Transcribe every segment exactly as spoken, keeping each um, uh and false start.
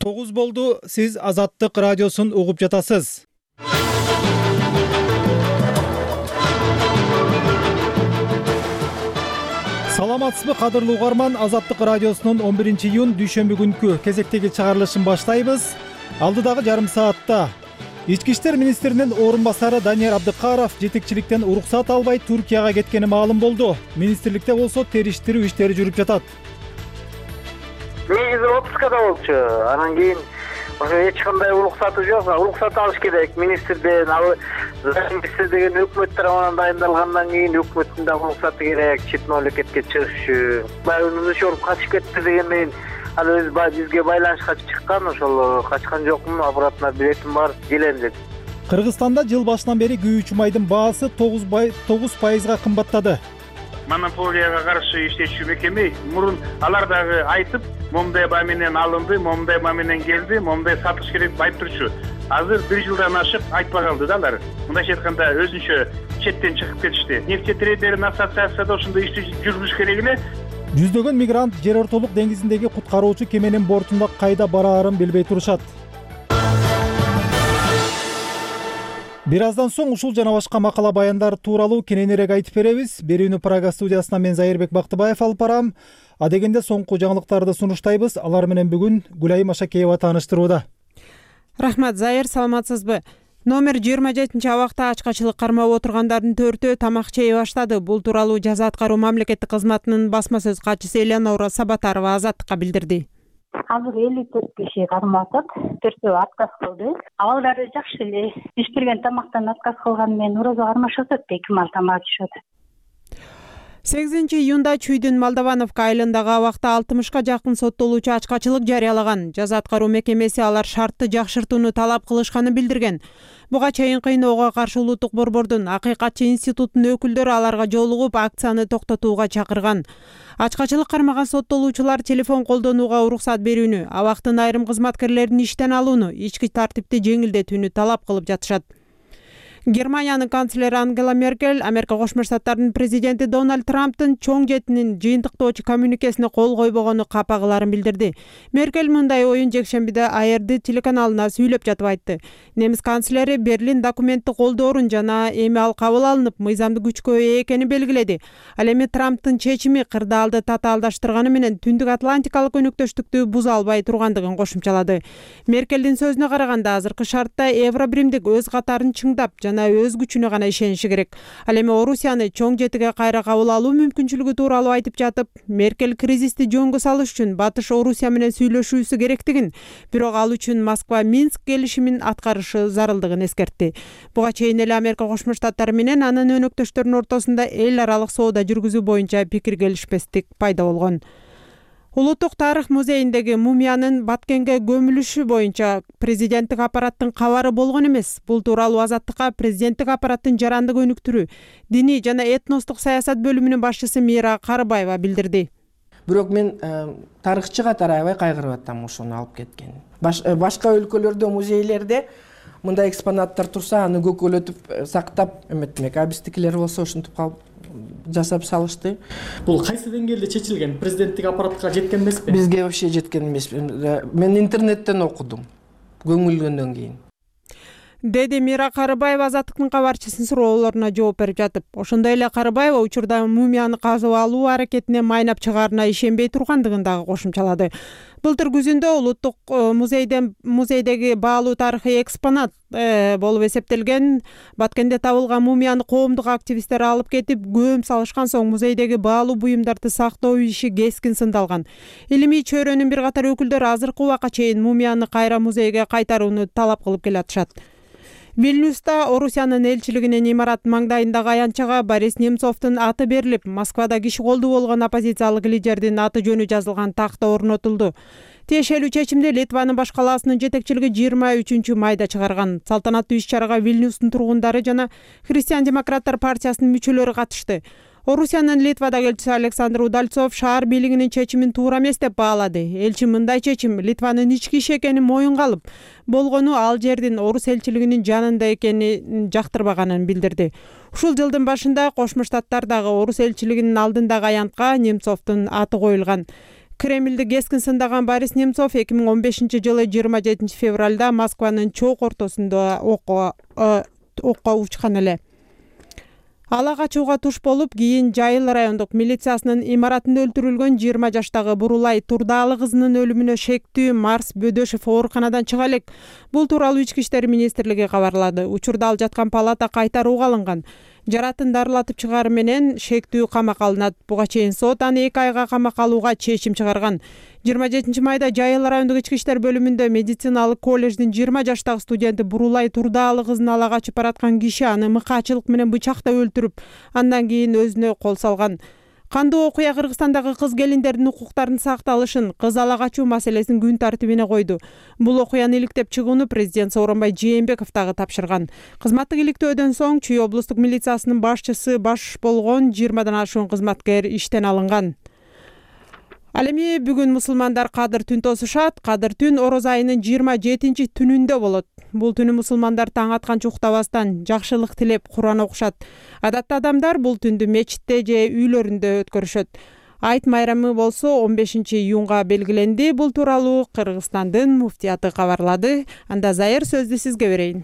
тогуз болду. Сиз Азаттык радиосун угуп жатасыз. Саламатсызбы, кадырлуу угарман? Азаттык радиосунун он биринчи июнь дүйшөмбү күнкү кезектеги чыгарылышын баштайбыз. Алдыдагы жарым саатта Ички иштер министринин орун басары Данияр Абдыкаров жетекчиликтен уруксат албай Туркияга кеткени маалым болду. Министрликте болсо териштирүү иштери жүрүп жатат. Негизи отпускада болчу. Анан кийин ошо эч кандай уруксаты жок. Уруксат алыш керек министрден. Ал министр деген өкмөт тарабынан дайындалгандан кийин өкмөттүн да уруксаты керек чет мамлекетке чыгыш үчүн. Баягы ошол качып кетти дегенден ал өз бизге байланышка чыккан, ошол качкан жокмун, обратно билетим бар, келем деп. Кыргызстанда жыл башынан бери күйүүчү майдын баасы тогуз пайызга кымбаттады. Монополияга каршы иштечү мекеме мурун алар дагы айтып, момундай баа менен алынды, момундай баа менен келди, момундай сатыш керек деп айтып турчу. Азыр бир жылдан ашык айтпай калды да алар. Мындайча айтканда өзүнчө четтен чыгып кетишти. Нефть трейдердин ассоциацияда ошондой ишти жүргүзүш керек эле. Жүздөгөн мигрант жер ортолук деңизиндеги куткаруучу кеменин бортунда кайда бараарын билбей турушат. Бир аздан соң ушул жана башка макала баяндар тууралуу кененирээк айтып беребиз. Берүүнү Прага студиясынан мен Зайырбек Бактыбаев алып барам. Адегенде соңку жаңылыктарды сунуштайбыз. Алар менен бүгүн Гүлайым Ашакеева тааныштырууда. Рахмат, Зайыр, саламатсызбы? Номер жыйырма жетинчи абакта ачкачылык кармап отургандардын төртөө тамак жей баштады. Бул тууралуу жаза аткаруу мамлекеттик кызматынын басма сөз катчысы Элеонора Сабатарова Азаттыкка билдирди. Азыр элүү төрт киши кармап атат, төртөө отказ кылды. Абалдары жакшы эле. Пиширген тамактан отказ кылган менен урозо кармашып атат, эки мал тамак жешет. сегизинчи июнда Чүйдүн Молдовановка айылындагы абакта алтымышка жакын соттолуучу ачкачылык жарыялаган. Жаза аткаруу мекемеси алар шартты жакшыртууну талап кылышканын билдирген. Буга чейин кыйноого каршы улуттук борбордун Акыйкатчы институтунун өкүлдөрү аларга жолугуп акцияны токтотууга чакырган. Ачкачылык кармаган соттолуучулар телефон колдонууга уруксат берүүнү, абактын айрым кызматкерлерин иштен алууну, ички тартипти жеңилдетүүнү талап кылып жатышат. Германиянын канцлери Ангела Меркель Америка Кошмо Штаттарынын президенти Дональд Трамптын чоң жетинин жыйынтыктоочу коммюникесине кол койбогону капа кыларын билдирди. Меркель мындай оюн жекшембиде А Р Д телеканалына сүйлөп жатып айтты. Немис канцлери Берлин документти колдоорун жана эми ал кабыл алынып, мыйзамдуу күчкө ээ экенин белгиледи. Ал эми Трамптын чечими кырдаалды татаалдаштырганы менен Түндүк Атлантикалык өнөктөштүктү буза албай тургандыгын кошумчалады. Меркелдин сөзүнө караганда азыркы шартта Евробиримдик өз катарын чыңдап жана өз күчүнө гана ишениши керек. Ал эми Орусияны чоң жетиге кайра кабыл алуу мүмкүнчүлүгү тууралуу айтып жатып, Меркель кризисти жөнгө салыш үчүн Батыш Орусия менен сүйлөшүүсү керектигин, бирок ал үчүн Москва Минск келишимин аткарышы зарылдыгын эскертти. Буга чейин эле Америка Кошмо Штаттары менен анын өнөктөштөрүнүн ортосунда эл аралык соода жүргүзүү боюнча пикир келишпестик пайда болгон. Улуттук тарых музейиндеги мумиянын Баткенге көмүлүшү боюнча президенттик аппараттын кабары болгон эмес. Бул тууралуу Азаттыкка президенттик аппараттын жарандык өнүктүрүү, диний жана этностук саясат бөлүмүнүн башчысы Мира Карыбаева билдирди. Бирок мен тарыхчы катары аябай кайгырып атам ошону алып кеткен. Башка өлкөлөрдө, музейлерде мындай экспонаттар турса, аны көкөлөтүп сактап эметмек. А биздикилер болсо ушинтип калып жасап салышты. Бул кайсы деңгээлде чечилген? Президенттик аппаратка жеткен эмеспи? Бизге вообще жеткен эмес. Мен интернеттен окудум. Көңүлгөндөн кийин. Деди Мира Карыбаева Азаттыктын кабарчысынын суроолоруна жооп берип жатып. Ошондой эле Карыбаева учурда мумияны казып алуу аракетине майнап чыгаарына ишенбей тургандыгын дагы кошумчалады. Былтыр күзүндө улуттук музейден музейдеги баалуу тарыхый экспонат э, болуп эсептелген Баткенде табылган мумияны коомдук активисттер алып кетип, көөм салышкан соң музейдеги баалуу буюмдарды сактоо иши кескин сындалган. Илимий чөйрөнүн бир катар өкүлдөрү азыркы убакка чейин мумияны кайра музейге кайтарууну талап кылып келатышат. Вильнюста Орусиянын элчилигинин имарат маңдайындагы аянтчага Борис Немцовдун аты берилип, Москвада киши колду болгон оппозициялык лидердин аты жөнү жазылган такта орнотулду. Тиешелүү чечимди Литванын баш калаасынын жетекчилиги жыйырма үчүнчү майда чыгарган. Салтанаттуу иш-чарага Вильнюстун тургундары жана Христиан-демократтар партиясынын мүчөлөрү катышты. Орусиянын Литвадагы элчиси Александр Удальцов шаар бийлигинин чечимин туура эмес деп баалады. Элчи мындай чечим Литванын ички иши экенин моюнга алып, болгону ал жердин орус элчилигинин жанында экенин жактырбаганын билдирди. Ушул жылдын башында Кошмо Штаттардагы орус элчилигинин алдындагы аянтка Немцовдун аты коюлган. Кремлди кескин сындаган Борис Немцов эки миң он бешинчи жылы жыйырма жетинчи февралда Москванын чоок ортосунда окко окко учкан эле. Ала качууга туш болуп, кийин Жайыл райондук милициясынын имаратында өлтүрүлгөн жыйырма жаштагы Бурулай Турдаалы кызынын өлүмүнө шектүү Марс Бөдөшев ооруканадан чыга элек. Бул тууралуу Ички иштер министрлиги кабарлады. Учурда ал жаткан палата кайтарууга алынган. Жаратын дарылатып чыгары менен шектүү камакка алынат. Буга чейин сот аны эки айга камакка алууга чечим чыгарган. жыйырма жетинчи майда Жайыл райондук ички иштер бөлүмүндө медициналык колледждин жыйырма жаштагы студенти Бурулай Турдаалы кызын ала качып бараткан киши аны мыкаачылык менен бычактап өлтүрүп, андан кийин өзүнө кол салган. Кандуу окуя Кыргызстандагы кыз келиндердин укуктарынын сакталышын, кыз ала качуу маселесин күн тартибине койду. Бул окуяны иликтеп чыгууну президент Сооронбай Жээнбеков дагы тапшырган. Кызматтык иликтөөдөн соң Чүй облустук милициясынын башчысы баш болгон жыйырмадан ашуун кызматкер иштен алынган. Ал эми бүгүн мусулмандар Кадыр түн тосушат. Кадыр түн Ороз айынын жыйырма жетинчи түнүндө болот. Бул түнү мусулмандар таң атканча уктабастан жакшылык тилеп Куран окушат. Адатта адамдар бул түндү мечитте же үйлөрүндө өткөрүшөт. Айт майрамы болсо он бешинчи июнга белгиленди. Бул тууралуу Кыргызстандын муфтияты кабарлады. Анда Зайыр сөздү сизге берейин.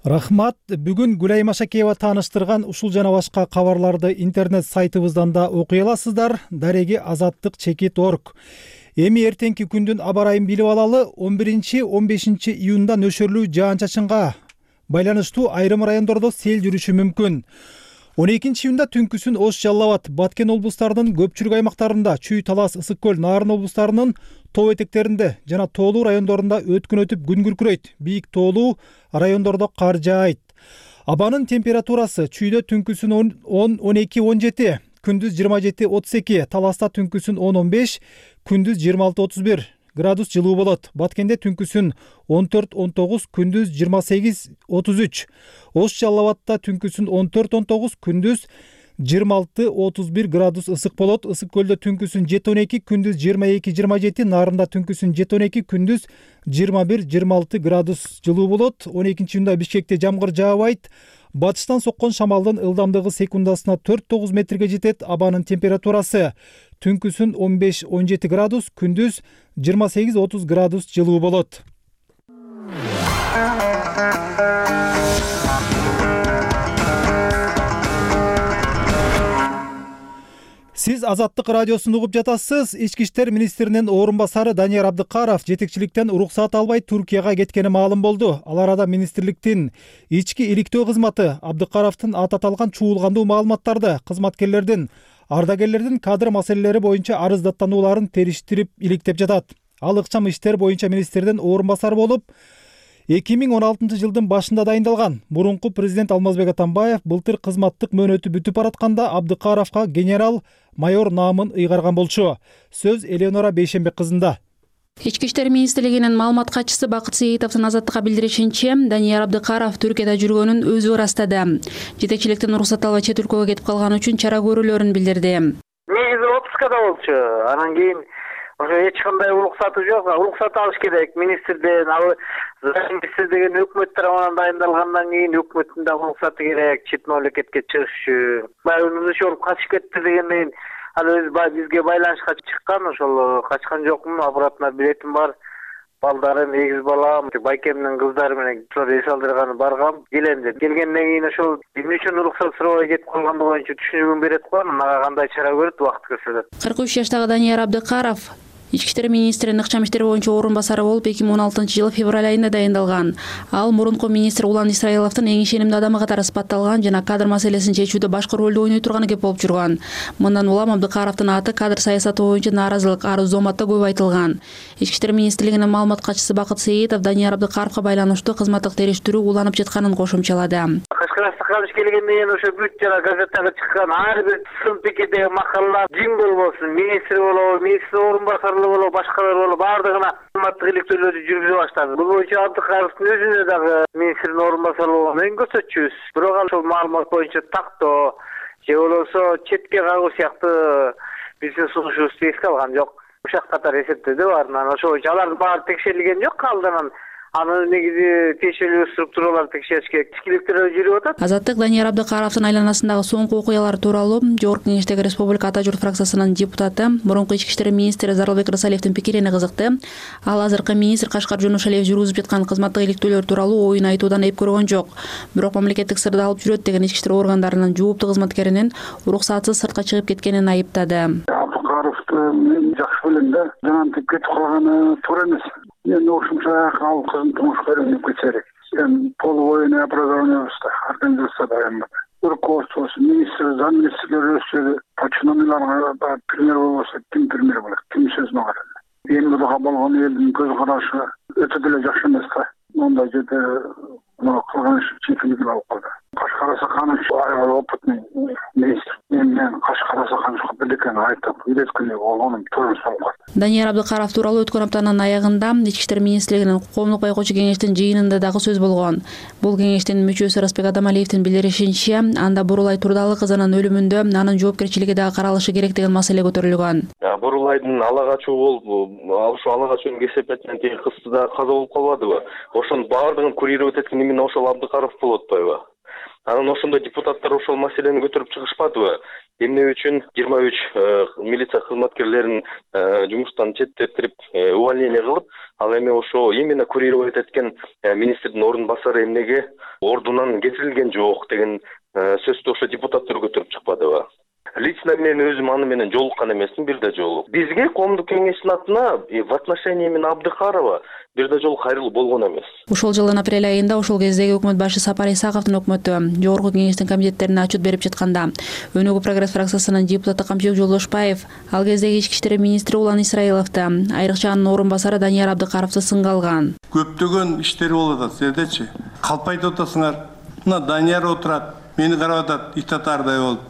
Рахмат. Бүгүн Гүлай Машакеева тааныштырган ушул жана башка кабарларды интернет сайтыбыздан да окуй аласыздар. Дареги азаттык чекит точка орг. Эми эртеңки күндүн аба ырайын билип алалы. он биринчи он бешинчи июнда нөшөрлүү жаан-чачынга байланыштуу айрым райондордо сел жүрүшү мүмкүн. он экинчи июнда түнкүсүн Ош, Жалал Абад, Баткен облустарынын көпчүлүк аймактарында, Чүй, Талас, Ысык көл, Нарын облустарынын тоо этектеринде жана тоолуу райондорунда өткөн өтүп күн күркүрөйт. Бийик тоолуу райондордо кар жаайт. Абанын температурасы Чүйдө түнкүсүн он он эки он жети, күндүз жыйырма жети отуз эки, Таласта түнкүсүн он он беш, күндүз жыйырма алты отуз бир градус жылуу болот. Баткенде түнкүсүн он төрт он тогуз, күндүз жыйырма сегиз отуз үч. Ош, Жалал Абадта түнкүсүн он төрт он тогуз, күндүз жыйырма алты отуз бир градус ысык болот. Ысык көлдө түнкүсүн жети он эки, күндүз жыйырма эки жыйырма жети, Нарында түнкүсүн жети он эки, күндүз жыйырма бир жыйырма алты градус жылуу болот. он экинчи июнда Бишкекте жамгыр жаабайт. Батыштан соккон шамалдын ылдамдыгы секундасына төрт тогуз метрге жетет. Абанын температурасы түнкүсүн он беш он жети градус, күндүз жыйырма сегиз отуз градус жылуу болот. Сиз Азаттык радиосун угуп жатасыз. Ички иштер министринин орун басары Данияр Абдыкаров жетекчиликтен уруксат албай Туркияга кеткени маалым болду. Ал арада министрликтин ички иликтөө кызматы Абдыкаровдун аты аталган чуулгандуу маалыматтарды кызматкерлердин, ардагерлердин кадр маселелери боюнча арыздаттанууларын териштирип иликтеп жатат. Ал ыкчам иштер боюнча министрдин орун басары болуп, эки миң он алтынчы жылдын башында дайындалган. Мурунку президент Алмазбек Атамбаев былтыр кызматтык мөөнөтү бүтүп баратканда Абдыкаровго генерал майор наамын ыйгарган болчу. Сөз Элеонора Бейшенбек кызында. Ички иштер министрлигинин маалымат катчысы Бакыт Сейитовдун Азаттыкка билдиришинче, Данияр Абдыкаров Түркияда жүргөнүн өзү ырастады. Жетекчиликтен уруксат албай чет өлкөгө кетип калган үчүн чара көрүүлөрүн билдирди. Негизи отпускада болчу. Анан кийин ошо эч кандай уруксаты жок. Уруксат алыш керек министрден. Ал министр деген өкмөт тарабынан дайындалгандан кийин өкмөттүн да уруксаты керек чет мамлекетке чыгыш үчүн. Баягы ошол качып кетти дегенден ал өз бизге байланышка чыккан, ошол качкан жокмун, обратно билетим бар. Балдарым, эгиз балам, байкемдин кыздары менен эс алдырганы баргам. Келем деп. Келгенден кийин ошол эмне үчүн уруксат сурабай кетип калгандыгы боюнча түшүнүгүн берет го. Мага кандай чара көрөт, убакыт көрсөтөт. кырк үч жаштагы Данияр Абдыкаров Ички иштер министринин ыкчам иштер боюнча орун басары болуп эки миң он алтынчы жылы февраль айында дайындалган. Ал мурунку министр Улан Исраиловдун эң ишенимдүү адамы катары сыпатталган жана кадр маселесин чечүүдө башкы ролду ойной турганы кеп болуп жүргөн. Мындан улам Абдыкаровдун аты кадр саясаты боюнча нааразылык арыз зоматта көп айтылган. Ички иштер министрлигинин маалымат катчысы Бакыт Сейитов Данияр Абдыкаровго байланыштуу кызматтык териштирүү уланып жатканын кошумчалады. Кашкарастыкка алыш келгенден кийин ошо бүт жана газеттага чыккан ар бир сын пикирдеги макалалар жин болбосун, министр болобу, министр орун басары болобу, башкалар болобу, баардыгына кызматтык иликтөөлөрдү жүргүзө баштады. Бул боюнча Абдыкаровдун өзүнө дагы министрдин орун басары болгонун көрсөтчүбүз. Бирок ал ошол маалымат боюнча тактоо же болбосо четке кагуу сыяктуу биздин сунушубузду эске алган жок. Ушак катары эсептеди бар. Анан ошол боюнча алардын баары текшерилген жок, калдынан аны негизи тиешелүү структуралар текшериш керек. Ичкиликтер жүрүп атат. Азаттык Данияр Абдыкаровдун айланасындагы соңку окуялар тууралуу Жогорку Кеңештеги Республика Ата журт фракциясынын депутаты, мурунку ички иштер министри Зарылбек Рысалиевдин пикирине кызыкты. Ал азыркы министр Кашкар Жөнөшалиев жүргүзүп жаткан кызматтык иликтөөлөр тууралуу оюн айтуудан эп көргөн жок. Бирок мамлекеттик сырды алып жүрөт деген ички иштер органдарынын жууптуу кызматкеринин уруксатсыз сыртка чыгып кеткенин айыптады. Абдыкаровду мен жакшы билем да, жанантип кетип калганы туура эмес. Эми ошончо ал кызын тумушка үйрөнүп кетсе керек. Эми полувоенное образование организация дайындап. Руководство, министр, замминистрлер өсөдү, починомийларга да пример болбосо ким пример болот, ким сөзүнө карайт. Эмгидага болгон элдин көз карашы өтө деле жакшы эмес да. Мондай жерде мына кылган иш чечилип алып калды. Кашкар Асаканович аябай опытный министр. Мен Кашкар Асакановичка бирдекени айтып, үйрөткөнү болгонум туура эмес. Данияр Абдыкаров тууралуу өткөн аптанын аягында Ички иштер министрлигинин коомдук байкоочу кеңештин жыйынында дагы сөз болгон. Бул кеңештин мүчөсү Ырысбек Адамалиевдин билдиришинче, анда Бурулай Турдалы кызынын өлүмүндө анын жоопкерчилиги дагы каралышы керек деген маселе көтөрүлгөн. Бурулайдын ала качуу болуп, ошо ала качуунун кесепетинен теги кызы да каза болуп калбадыбы? Ошонун баардыгын курировать эткени эмне ошол Абдыкаров болуп атпайбы? Анан ошондо депутаттар ошол маселени көтөрүп чыгышпадыбы? Эмне үчүн жыйырма үч милиция кызматкерлерин жумуштан четтетирип, увольнение кылып, ал эми ошо именно курировать эткен министрдин ордун басары эмнеге ордунан кетирилген жок деген сөздү ошо депутаттар көтөрүп чыкпадыбы? Лично мен өзүм аны менен жолуккан эмесмин бир да жолу. Бизге коомдук кеңештин атына в отношении именно Абдыкарова бир да жолу кайрылуу болгон эмес. Ушул жылдын апрель айында ошол кездеги өкмөт башы Сапар Исаковдун өкмөтү Жогорку Кеңештин комитеттерине отчет берип жатканда, Өнүгүү прогресс фракциясынын депутаты Камчыбек Жолдошбаев ал кездеги ички иштер министри Улан Исраиловду, айрыкча анын орун басары Данияр Абдыкаровду сынга алган. Көптөгөн иштер болуп атат, сиздерчи. Калп айтып атасыңар. Мына Данияр отурат, мени карап атат, ит атардай болуп.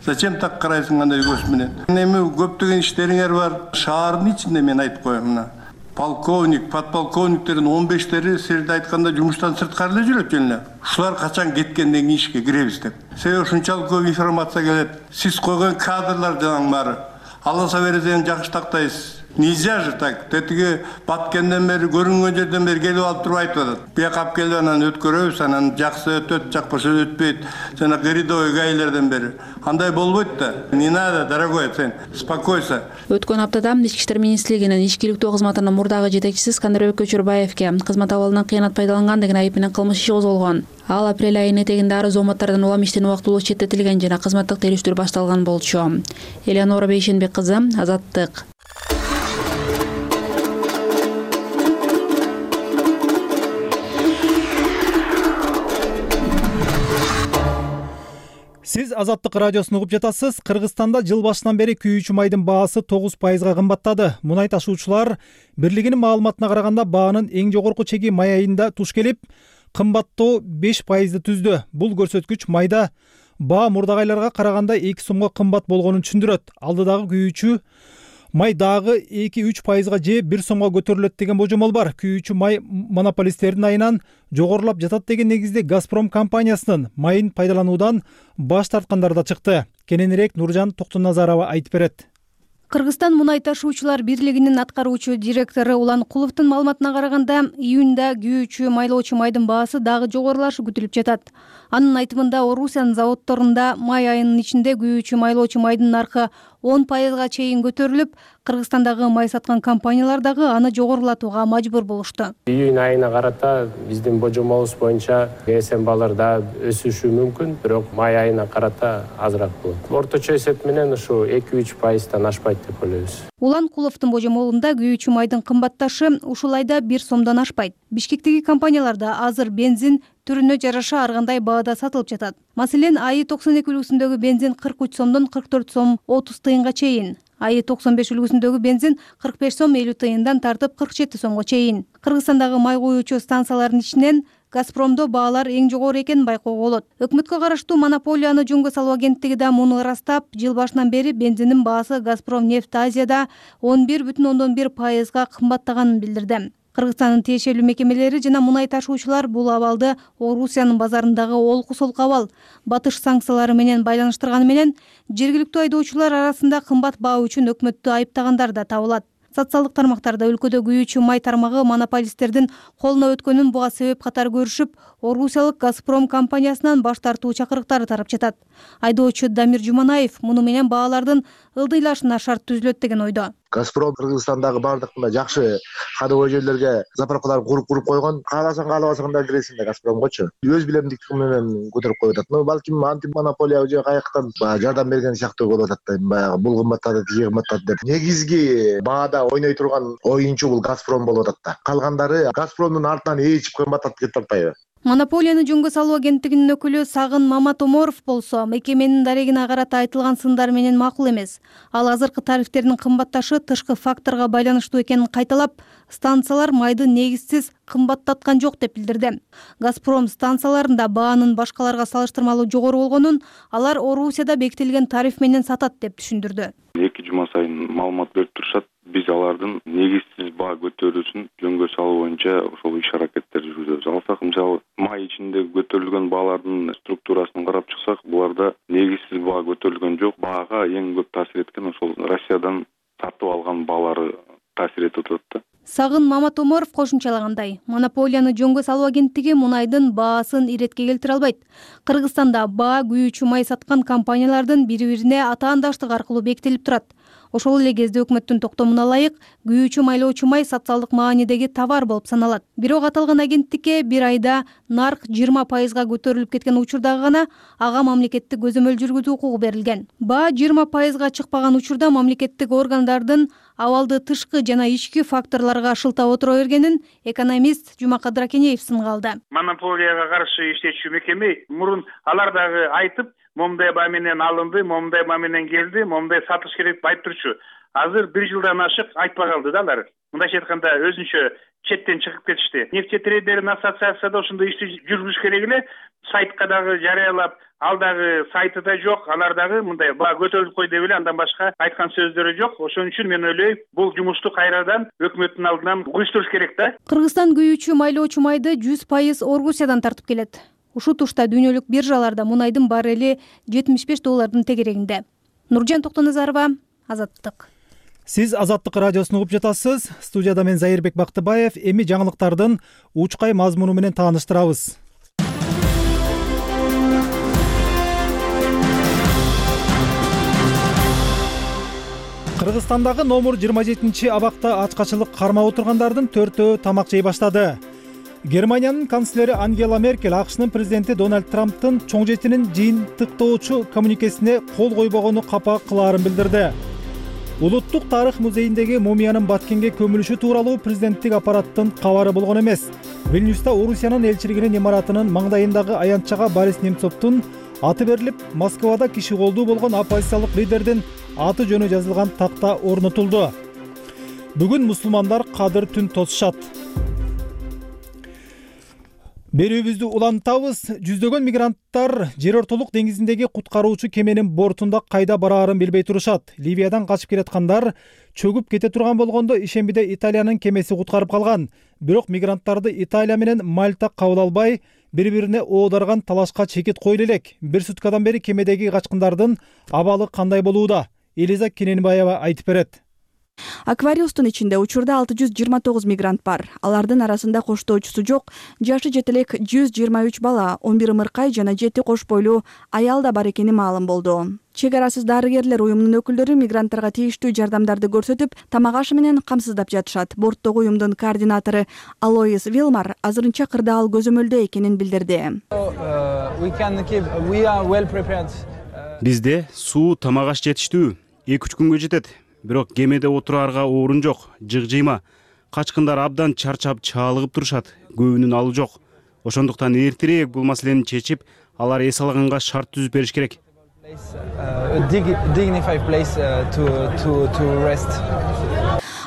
Зачем так карайсың андай көз менен? Эми көптөгөн иштериңер бар. Шаардын ичинде мен айтып коем мына. Полковник, подполковниктердин он бештери силерде айтканда жумуштан сырткары эле жүрөт жөн. Ушулар качан кеткенден кийин ишке киребиз деп. Себеби ушунчалык көп информация келет. Сиз койгон кадрлар жанаң баары. Алласа бересең жакшы тактайсыз. Нельзя же так. Тетиги баткенден бери, көрүнгөн жерден бери келип алып туруп айтып атат. Бияка алып келип анан өткөрөбүз, анан жакшы өтөт, жакпаса өтпөйт. Жана рядовой гаилерден бери. Андай болбойт да. Не надо, дорогой, сен успокойся. Өткөн аптада ички иштер министрлигинин ички иликтөө кызматынын мурдагы жетекчиси Скандарбек Көчөрбаевке кызмат абалынан кыянат пайдаланган деген айып менен кылмыш иши козголгон. Ал апрель айынын этегинде арыз зоматтардан улам иштен убактылуу четтетилген жана кызматтык териштирүү башталган болчу. Элеонора Бейшенбек кызы, Азаттык. Сиз Азаттык радиосун угуп жатасыз. Кыргызстанда жыл башынан бери күйүүчү майдын баасы тогуз пайызга кымбаттады. Мунай ташуучулар бирлигинин маалыматына караганда баанын эң жогорку чеги май айында туш келип, кымбаттоо беш пайызды түздү. Бул көрсөткүч майда баа мурдагы айларга караганда эки сомго кымбат болгонун түшүндүрөт. Алдыдагы күйүүчү май дагы эки үч пайызга же бир сомго көтөрүлөт деген божомол бар. Күйүүчү май монополисттердин айынан жогорулап жатат деген негизде Газпром компаниясынын майын пайдалануудан баш тарткандар да чыкты. Кененирээк Нуржан Токтоназарова айтып берет. Кыргызстан мунай ташуучулар бирлигинин аткаруучу директору Улан Куловдун маалыматына караганда, июнда күйүүчү майлоочу майдын баасы дагы жогорулашы күтүлүп жатат. Анын айтымында, Орусиянын заводдорунда май айынын ичинде күйүүчү майлоочу майдын наркы он пайызга чейин көтөрүлүп, Кыргызстандагы май саткан компаниялар дагы аны жогорулатууга мажбур болушту. Июнь айына карата биздин божомолубуз боюнча КСМ баалар да өсүшү мүмкүн, бирок май айына карата азыраак болот. Орточо эсеп менен ушу эки үч пайыздан ашпайт деп ойлойбуз. Улан Куловдун божомолунда күйүүчү майдын кымбатташы ушул айда бир сомдон ашпайт. Бишкектеги компанияларда азыр бензин түрүнө жараша ар кандай баада сатылып жатат. Маселен, АИ токсон эки үлгүсүндөгү бензин кырк үч сомдон кырк төрт сом отуз тыйынга чейин. АИ токсон беш үлгүсүндөгү бензин кырк беш сом элүү тыйындан тартып кырк жети сомго чейин. Кыргызстандагы май куюучу станциялардын ичинен Газпромдо баалар эң жогору экенин байкоого болот. Өкмөткө караштуу монополияны жөнгө салуу агенттиги да муну ырастап, жыл башынан бери бензиндин баасы Газпром нефть Азияда он бир бүтүн ондон бир пайызга кымбаттаганын билдирди. Кыргызстандын тиешелүү мекемелери жана мунай ташуучулар бул абалды Орусиянын базарындагы олку солку абал, батыш санкциялары менен байланыштырганы менен жергиликтүү айдоочулар арасында кымбат баа үчүн өкмөттү айыптагандар да табылат. Социалдык тармактарда өлкөдө күйүүчү май тармагы монополисттердин колуна өткөнүн буга себеп катары көрүшүп, Орусиялык Газпром компаниясынан баш тартуу чакырыктары тарап жатат. Айдоочу Дамир Жуманаев муну менен баалардын ылдыйлашына шарт түзүлөт деген ойдо. Газпром Кыргызстандагы бардык мына жакшы кадовой жерлерге заправкаларды куруп куруп койгон. Кааласаң каалабасаң да киресиң да Газпромгочу. Өз билемдиктиги менен көтөрүп коюп атат. Ну балким антимонополия же каяктан жардам берген сыяктуу болуп атат да. Баягы бул кымбаттады, тиги кымбаттады деп. Негизги баада ойной турган оюнчу бул Газпром болуп атат да. Калгандары Газпромдун артынан ээрчип кымбаттатып кетип атпайбы? Монополияны жөнгө салуу агенттигинин өкүлү Сагын Маматоморов болсо, мекеменин дарегине карата айтылган сындар менен макул эмес. Ал азыркы тарифтердин кымбатташы тышкы факторго байланыштуу экенин кайталап, станциялар майды негизсиз кымбаттаткан жок деп билдирди. Газпром станцияларында баанын башкаларга салыштырмалуу жогору болгонун, алар Орусияда бекитилген тариф менен сатат деп түшүндүрдү. Эки жума сайын маалымат берип турушат. Биз алардын негизсиз баа көтөрүүсүн жөнгө салуу боюнча ошол иш аракеттерди жүргүзөбүз. Алсак, мисалы, май ичинде көтөрүлгөн баалардын структурасын карап чыксак, буларда негизсиз баа көтөрүлгөн жок. Баага эң көп таасир эткен ошол Россиядан тартып алган баалары таасир этип атат да. Сагын Маматоморов кошумчалагандай, монополияны жөнгө салуу агенттиги мунайдын баасын иретке келтире албайт. Кыргызстанда баа күйүүчү май саткан компаниялардын бири-бирине атаандаштык аркылуу бекитилип турат. Ошол эле кезде өкмөттүн токтомуна ылайык күйүүчү майлоочу май социалдык маанидеги товар болуп саналат. Бирок аталган агенттикке бир айда нарк жыйырма пайызга көтөрүлүп кеткен учурда гана ага мамлекеттик көзөмөл жүргүзүү укугу берилген. Баа жыйырма пайызга чыкпаган учурда мамлекеттик органдардын абалды тышкы жана ички факторлорго шылтап отура бергенин экономист Жумакадыр Акенеев сынга алды. Монополияга каршы иштечү мекеме мурун алар дагы айтып, момундай баа менен алынды, момундай баа менен келди, момундай сатыш керек деп айтып турчу. Азыр бир жылдан ашык айтпай калды да алар. Мындайча айтканда өзүнчө четтен чыгып кетишти. Нефтетрейдердин ассоциацияда ошондой ишти жүргүзүш керек эле. Сайтка дагы жарыялап, ал дагы сайтыда жок, алар дагы мындай баа көтөрүлүп кой деп эле андан башка айткан сөздөрү жок. Ошон үчүн мен ойлойм, бул жумушту кайрадан өкмөттүн алдынан уюштуруш керек да. Кыргызстан күйүүчү майлоочу майды жүз пайыз Орусиядан тартып келет. Ушул тушта дүйнөлүк биржаларда мунайдын баррели жетимиш беш доллардын тегерегинде. Нуржан Токтоназарова, Азаттык. Сиз Азаттык радиосун угуп жатасыз. Студияда мен Зайырбек Бактыбаев. Эми жаңылыктардын учкай мазмуну менен тааныштырабыз. Кыргызстандагы номер жыйырма жетинчи абакта ачкачылык кармап отургандардын төртөө тамак жей баштады. Германиянын канцлери Ангела Меркель АКШнын президенти Дональд Трамптын чоң жетинин жыйынтыктоочу коммуникесине кол койбогону капа кылаарын билдирди. Улуттук тарых музейиндеги мумиянын Баткенге көмүлүшү тууралуу президенттик аппараттын кабары болгон эмес. Вильнюста Орусиянын элчилигинин имаратынын маңдайындагы аянтчага Борис Немцовдун аты берилип, Москвада киши колдуу болгон оппозициялык лидердин аты жөнү жазылган такта орнотулду. Бүгүн мусулмандар кадыр түн тосушат. Берүүбүздү улантабыз. Жүздөгөн мигранттар жер ортолук деңизиндеги куткаруучу кеменин бортунда кайда бараарын билбей турушат. Ливиядан качып келаткандар чөгүп кете турган болгондо ишембиде Италиянын кемеси куткарып калган. Бирок мигранттарды Италия менен Мальта кабыл албай, бири-бирине оодарган талашка чекит коюлу элек. Бир суткадан бери кемедеги качкындардын абалы кандай болууда? Элиза Кененбаева айтып берет. Аквариустун ичинде учурда алты жүз жыйырма тогуз мигрант бар. Алардын арасында коштоочусу жок, жашы жете элек жүз жыйырма үч бала, он бир ымыркай жана жети кош бойлуу аял да бар экени маалым болду. Чек арасыз дарыгерлер уюмунун өкүлдөрү мигранттарга тийиштүү жардамдарды көрсөтүп, тамак ашы менен камсыздап жатышат. Борттогу уюмдун координатору Алоис Вилмар азырынча кырдаал көзөмөлдө экенин билдирди. Бизде суу, тамак аш жетиштүү, эки үч күнгө жетет. Бирок кемеде отураарга орун жок, жыгжыйма. Качкындар абдан чарчап, чаалыгып турушат. Көбүнүн алуу жок. Ошондуктан эртерээк бул маселени чечип, алар эс алганга шарт түзүп бериш керек.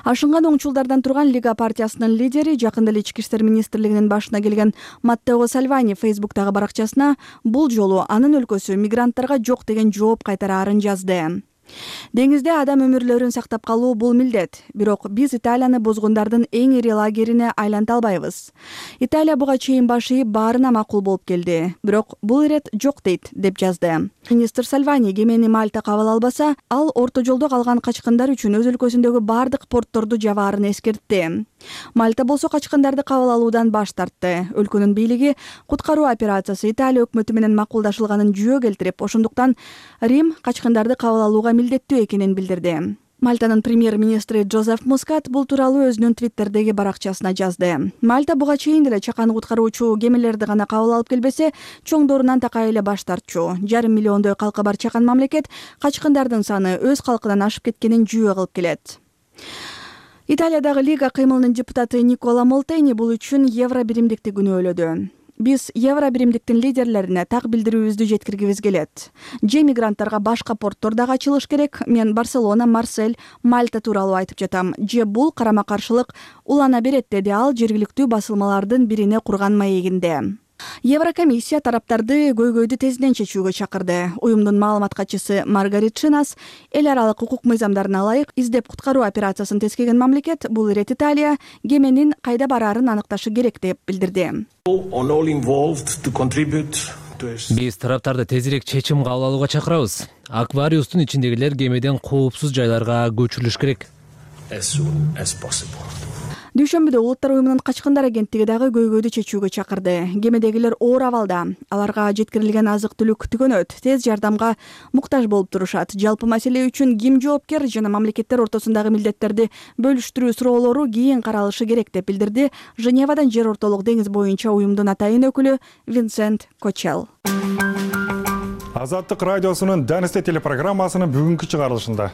Ашынган оңчулдардан турган Лига партиясынын лидери, жакында эле Ички иштер министрлигинин башына келген Маттео Сальвани Фейсбуктагы баракчасына бул жолу анын өлкөсү мигранттарга жок деген жооп кайтараарын жазды. Деңизде адам өмүрлөрүн сактап калуу бул милдет. Бирок биз Италияны бозгундардын эң ири лагерине айланта албайбыз. Италия буга чейин баш ийип баарына макул болуп келди. Бирок бул ирет жок дейт, деп жазды. Министр Сальвани кемени Мальта кабыл албаса, ал орто жолдо калган качкындар үчүн өз өлкөсүндөгү бардык портторду жабаарын эскертти. Мальта болсо качкындарды кабыл алуудан баш тартты. Өлкөнүн бийлиги куткаруу операциясы Италия өкмөтү менен макулдашылганын жүйө келтирип, ошондуктан Рим качкындарды кабыл алууга милдеттүү экенин билдирди. Мальтанын премьер-министри Джозеф Мускат бул тууралуу өзүнүн твиттердеги баракчасына жазды. Мальта буга чейин деле чакан куткаруучу кемелерди гана кабыл алып келбесе, чоңдорунан такай эле баш тартчу. Жарым миллиондой калкы бар чакан мамлекет качкындардын саны өз калкынан ашып кеткенин жүйө кылып келет. Италиядагы Лига кыймылынын депутаты Никола Молтени бул үчүн евро биримдикти күнөөлөдү. Биз евро биримдиктин лидерлерине так билдирүүбүздү жеткиргибиз келет. Же мигранттарга башка порттор дагы ачылыш керек. Мен Барселона, Марсель, Мальта тууралуу айтып жатам. Же бул карама-каршылык улана берет, деди ал жергиликтүү басылмалардын бирине курган маегинде. Еврокомиссия тараптарды көйгөйдү тезинен чечүүгө чакырды. Уюмдун маалымат катчысы Маргарит Шинас эл аралык укук мыйзамдарына ылайык издеп куткаруу операциясын тескеген мамлекет бул ирет Италия кеменин кайда бараарын аныкташы керек деп билдирди. Биз тараптарды тезирээк чечим кабыл алууга чакырабыз. Аквариустун ичиндегилер кемеден коопсуз жайларга көчүрүлүш керек. Дүйшөмбүдө Улуттар уюмунун качкындар агенттиги дагы көйгөйдү чечүүгө чакырды. Кемедегилер оор абалда. Аларга жеткирилген азык-түлүк түгөнөт, тез жардамга муктаж болуп турушат. Жалпы маселе үчүн ким жоопкер жана мамлекеттер ортосундагы милдеттерди бөлүштүрүү суроолору кийин каралышы керек деп билдирди Женевадан жер ортолук деңиз боюнча уюмдун атайын өкүлү Винсент Кочел. Азаттык радиосунун Данисте телепрограммасынын бүгүнкү чыгарылышында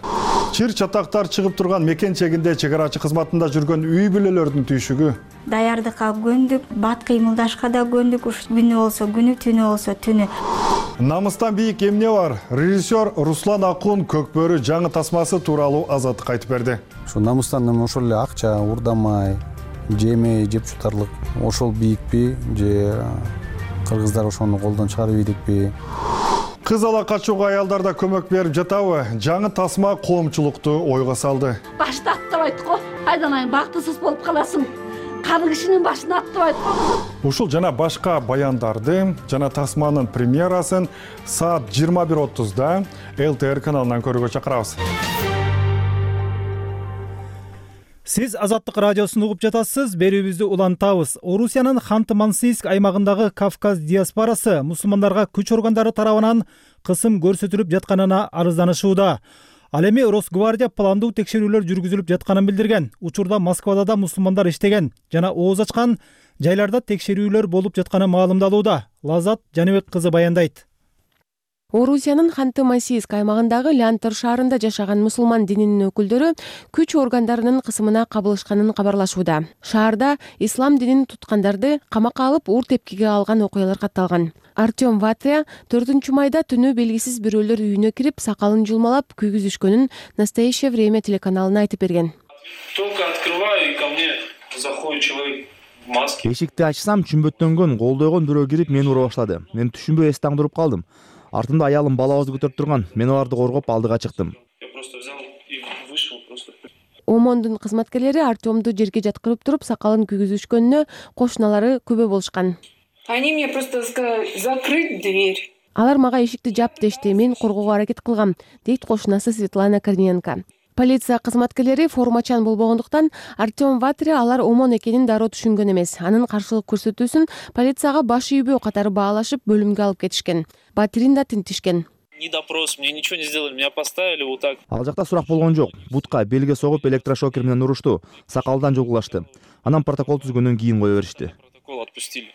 чыр чатактар чыгып турган мекен чегинде чек арачы кызматында жүргөн үй бүлөлөрдүн түйшүгү, даярдыкка көндүк, бат кыймылдашка да көндүк, күнү болсо күнү, түнү болсо түнү. Намыстан бийик эмне бар? Режиссер Руслан Акун Көкбөрү жаңы тасмасы тууралуу Азаттыкка айтып берди. Ошо намыстан ошол эле акча, урдамай, жемей, жеп жутарлык ошол бийикпи же кыргыздар ошону колдон чыгарып ийдикпи? Кыз ала качууга аялдар да көмөк берип жатабы? Жаңы тасма коомчулукту ойго салды. Башты аттабайт го. Айданайын бактысыз болуп каласың. Кары кишинин башын аттабайт го. Ушул жана башка баяндарды жана тасманын премьерасын саат жыйырма бир отузда эл тэ эр каналынан көрүүгө чакырабыз. Сиз Азаттык радиосун угуп жатасыз. Берүүбүздү улантабыз. Орусиянын Ханты-Мансийск аймагындагы Кавказ диаспорасы мусулмандарга күч органдары тарабынан кысым көрсөтүлүп жатканына арызданышууда. Ал эми Росгвардия пландуу текшерүүлөр жүргүзүлүп жатканын билдирген. Учурда Москвада да мусулмандар иштеген жана ооз ачкан жайларда текшерүүлөр болуп жатканы маалымдалууда. Лазат Жаныбек кызы баяндайт. Орусиянын Ханты-Мансийск аймагындагы Лянтор шаарында жашаган мусулман дининин өкүлдөрү күч органдарынын кысымына кабылышканын кабарлашууда. Шаарда ислам динин туткандарды камакка алып уур тепкиге алган окуялар катталган. Артем Ватря төртүнчү майда түнү белгисиз бирөөлөр үйүнө кирип, сакалын жулмалап күйгүзүшкөнүн Настоящее время телеканалына айтып берген. Эшикти ачсам, чүмбөттөнгөн, колдойгон бирөө кирип мени ура баштады. Мен түшүнбөй эстең туруп калдым. Артымда аялым балабызды көтөрүп турган. Мен аларды коргоп алдыга чыктым. ОМОНдун кызматкерлери Артемду жерге жаткырып туруп, сакалын күйгүзүшкөнүнө кошуналары күбө болушкан. Они мне просто сказали закрыть дверь. Алар мага эшикти жап дешти, мен коргоого аракет кылгам, дейт кошунасы Светлана Корниенко. Полиция кызматкерлери формачан болбогондуктан Артем Ватря алар ОМОН экенин дароо түшүнгөн эмес. Анын каршылык көрсөтүүсүн полицияга баш ийбөө катары баалашып бөлүмгө алып кетишкен. Батирин да тинтишкен. Ни допрос, мне ничего не сделали, меня поставили вот так. Ал жакта сурак болгон жок. Бутка белге согуп электрошокер менен урушту. Сакалдан жулгулашты. Анан протокол түзгөндөн кийин кое беришти. Протокол отпустили.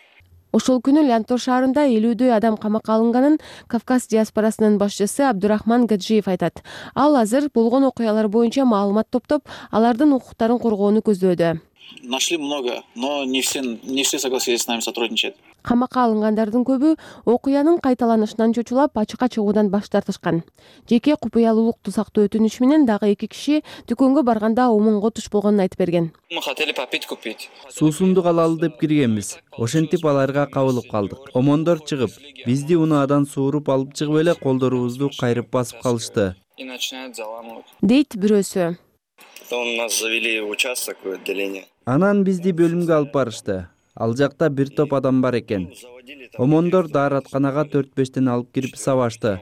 Ошол күнү Лянтор шаарында элүүдөй адам камакка алынганын Кавказ диаспорасынын башчысы Абдурахман Гаджиев айтат. Ал азыр болгон окуялар боюнча маалымат топтоп, алардын укуктарын коргоону көздөөдө. Нашли много, но не все, не все согласились с нами сотрудничать. Камакка алынгандардын көбү окуянын кайталанышынан чочулап, ачыкка чыгуудан баш тартышкан. Жеке купуялуулукту сактоо өтүнүш менен дагы эки киши дүкөнгө барганда омонго туш болгонун айтып берген. Мы хотели попить купить. Суусунду алалы деп киргенбиз. Ошентип аларга кабылып калдык. Омондор чыгып, бизди унаадан сууруп алып чыгып эле колдорубузду кайрып басып калышты. И начинают заламывать. дейт бирөөсү. Потом нас завели в участок, в отделение. Анан бизди бөлүмгө алып барышты. Ал жакта бир топ адам бар экен. Омондор дааратканага төрт бештен алып кирип сабашты,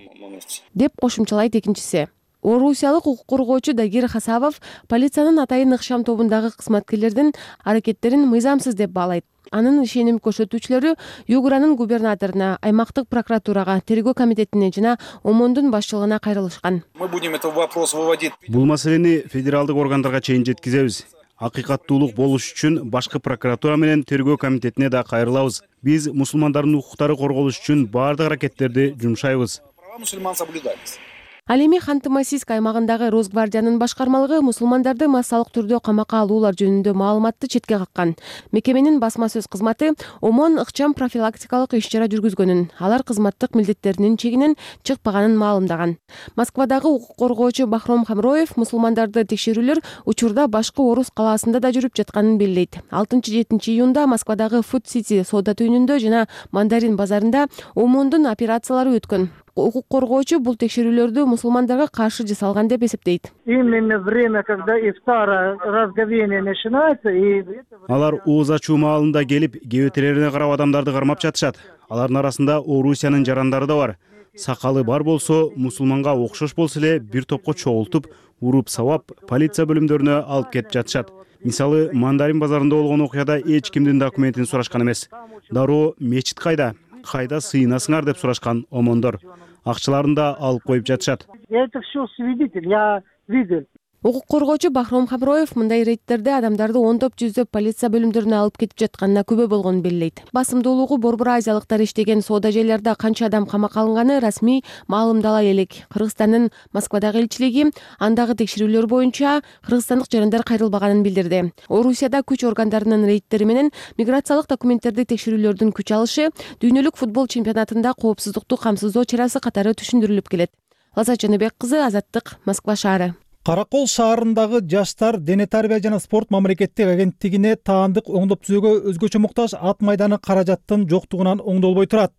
деп кошумчалайт экинчиси. Орусиялык укук коргоочу Дагир Хасабов полициянын Атайын ыкшам тобундагы кызматкерлердин аракеттерин мыйзамсыз деп баалайт. Анын ишеним көрсөтүүчүлөрү Югранын губернаторуна, аймактык прокуратурага, тергөө комитетине жана ОМОНдун башчылыгына кайрылышкан. Мы будем этот вопрос выводить. Бул маселени федералдык органдарга чейин жеткизебиз. Акыйкаттуулук болуш үчүн башкы прокуратура менен тергөө комитетине да кайрылабыз. Биз мусулмандардын укуктары корголуш үчүн баардык аракеттерди жумшайбыз. Права мусульман соблюдались. Ал эми Ханты-Мансийск аймагындагы Росгвардиянын башкармалыгы мусулмандарды массалык түрдө камакка алуулар жөнүндө маалыматты четке каккан. Мекеменин басма сөз кызматы ОМОН ыкчам профилактикалык иш-чара жүргүзгөнүн, алар кызматтык милдеттеринин чегинен чыкпаганын маалымдаган. Москвадагы укук коргоочу Бахром Хамроев мусулмандарды текшерүүлөр учурда башкы Орус калаасында да жүрүп жатканын белгилейт. алтынчы жетинчи июнда Москвадагы Food City соода түйүнүндө жана Мандарин базарында ОМОНдун операциялары өткөн. Укук коргоочу бул текшерүүлөрдү мусулмандарга каршы жасалган деп эсептейт. Именно время, когда ифтара разговение начинается, и Алар ооз ачуу маалында келип, кебетелерине карап адамдарды кармап жатышат. Алардын арасында Орусиянын жарандары да бар. Сакалы бар болсо, мусулманга окшош болсо эле бир топко чогултуп, уруп сабап, полиция бөлүмдөрүнө алып кетип жатышат. Мисалы, Мандарин базарында болгон окуяда эч кимдин документин сурашкан эмес. Дароо мечит кайда? Кайда сыйынасыңар деп сурашкан омондор. Акчаларын да алып коюп жатышат. это все свидетель, я видел. Укук коргоочу Бахром Хамроев мындай рейдтерде адамдарды ондоп жүздөп полиция бөлүмдөрүнө алып кетип жатканына күбө болгонун белгилейт. Басымдуулугу борбор азиялыктар иштеген соода жайларда канча адам камакка алынганы расмий маалымдала элек. Кыргызстандын Москвадагы элчилиги андагы текшерүүлөр боюнча кыргызстандык жарандар кайрылбаганын билдирди. Орусияда күч органдарынын рейдтери менен миграциялык документтерди текшерүүлөрдүн күч алышы дүйнөлүк футбол чемпионатында коопсуздукту камсыздоо чарасы катары түшүндүрүлүп келет. Лазат Жаныбек кызы, Азаттык, Москва шаары. Каракол шаарындагы жаштар дене тарбия жана спорт мамлекеттик агенттигине таандык оңдоп түзүүгө өзгөчө муктаж ат майданы каражаттын жоктугунан оңдолбой турат.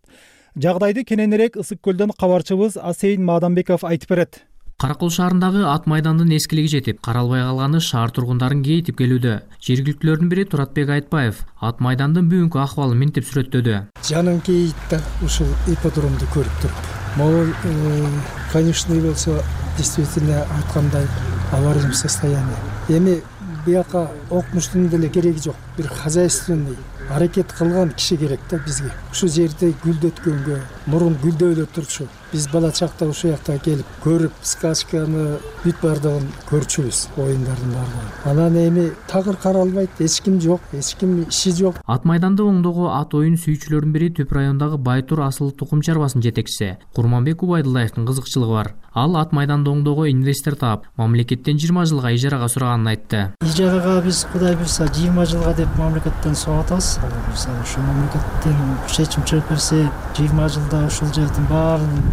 Жагдайды кененирээк Ысык көлдөн кабарчыбыз Асейин Мадамбеков айтып берет. Каракол шаарындагы ат майдандын эскилиги жетип, каралбай калганы шаар тургундарын кейитип келүүдө. Жергиликтүүлөрдүн бири Туратбек Айтбаев ат майдандын бүгүнкү акыбалын мынтип сүрөттөдү. Жаным кейит да ушул ипподромду көрүп туруп. Могул, конечно, болсо действительно айткандай аварийный состояние. Эми бияка окумуштун деле кереги жок. Бир хозяйственный аракет кылган киши керек да бизге. Ушу жерде гүлдөткөнгө, мурун гүлдөп эле турчу. Биз бала чакта ушул жакта келип көрүп, скачканы бүт бардыгын көрчүбүз, оюндардын бардыгын. Анан эми тагыр каралбайт, эч ким жок, эч ким иши жок. Ат майданды оңдоого ат оюн сүйүүчүлөрдүн бири Түп районундагы Байтур асыл тукум чарбасынын жетекчиси Курманбек Убайдуллаевдин кызыкчылыгы бар. Ал ат майданды оңдоого инвестор таап, мамлекеттен жыйырма жылга ижарага сураганын айтты. Ижарага биз Кудай буйрса жыйырма жылга деп мамлекеттен сурап атабыз. Ошо мамлекеттен чечим чыгып берсе жыйырма жылда ушул жердин баарын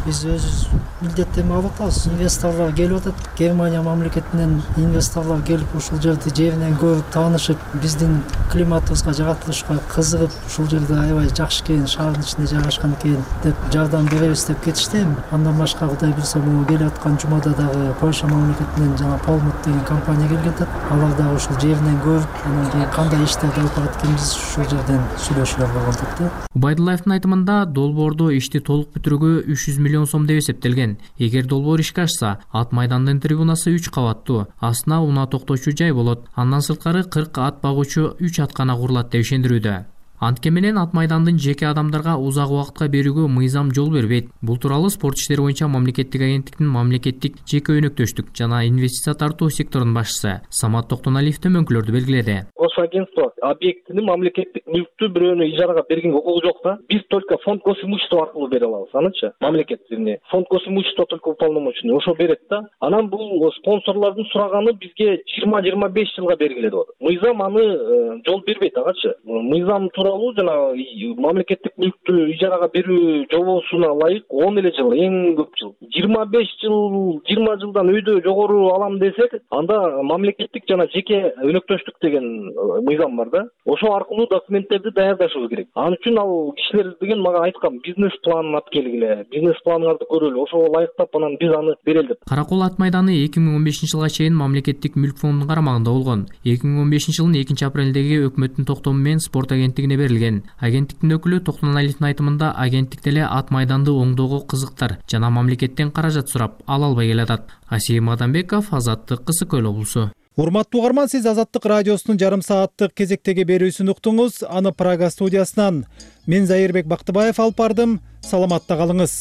биз өз милдеттеме алып атабыз. Инвесторлор келип атат. Германия мамлекетинен инвесторлор келип ушул жерди жеринен көрүп, таанышып, биздин климатыбызга, жаратылышка кызыгып, ушул жерде аябай жакшы экен, шаардын ичинде жайгашкан экен деп жардам беребиз деп кетишти. Андан башка Кудай буйрса могу келип аткан жумада дагы Польша мамлекетинен жана Полмут деген компания келген атат. Алар дагы ушул жеринен көрүп, анан кийин кандай иштерди алып барат экенбиз ушул жерден сүйлөшүп алган атат. Убайдуллаевдин айтымында долбоордо ишти толук бүтүрүүгө үч жүз миллион сом деп эсептелген. Эгер долбоор ишке ашса, ат майдандын трибунасы үч кабаттуу, астына унаа токтоочу жай болот. Андан сырткары кырк ат багуучу үч аткана курулат деп ишендирүүдө. Антке менен ат майдандын жеке адамдарга узак убакытка берүүгө мыйзам жол бербейт. Бул тууралуу спорт иштери боюнча мамлекеттик агенттиктин мамлекеттик жеке өнөктөштүк жана инвестиция тартуу секторунун башчысы Самат Токтоналиев төмөнкүлөрдү белгиледи. Госагентство объектини мамлекеттик мүлктү бирөөнө ижарага берген укугу жок да. Биз только фонд госимущества аркылуу бере алабыз, анычы мамлекеттине. Фонд госимущества только уполномоченный ошо берет да. Анан бул спонсорлордун сураганы бизге жыйырма жыйырма беш жылга белгиленип атат. Мыйзам аны жол бербейт агачы. Мыйзам тууралуу тууралуу жанагы мамлекеттик мүлктү ижарага берүү жобосуна ылайык он эле жыл, эң көп жыл. жыйырма беш жыл, жыйырма жылдан өйдө жогору алам десек, анда мамлекеттик жана жеке өнөктөштүк деген мыйзам бар да. Ошо аркылуу документтерди даярдашыбыз керек. Ал үчүн ал кишилер деген мага айткан, бизнес планын алып келгиле, бизнес планыңарды көрөлү, ошого ылайыктап анан биз аны берели деп. Каракол ат майданы эки миң он бешинчи жылга чейин мамлекеттик мүлк фондунун карамагында болгон. эки миң он бешинчи жылдын экинчи апрелдеги өкмөттүн токтому менен спорт агенттигине берилген. Агенттиктин өкүлү Токтоналиевдин айтымында агенттик деле ат майданды оңдоого кызыктар жана мамлекеттен каражат сурап ала албай келатат. Асим Адамбеков, Азаттык, Кысык Көл облусу. Урматтуу угарман, сиз Азаттык радиосунун жарым сааттык кезектеги берүүсүн уктуңуз. Аны Прага студиясынан мен Зайырбек Бактыбаев алып бардым. Саламатта калыңыз.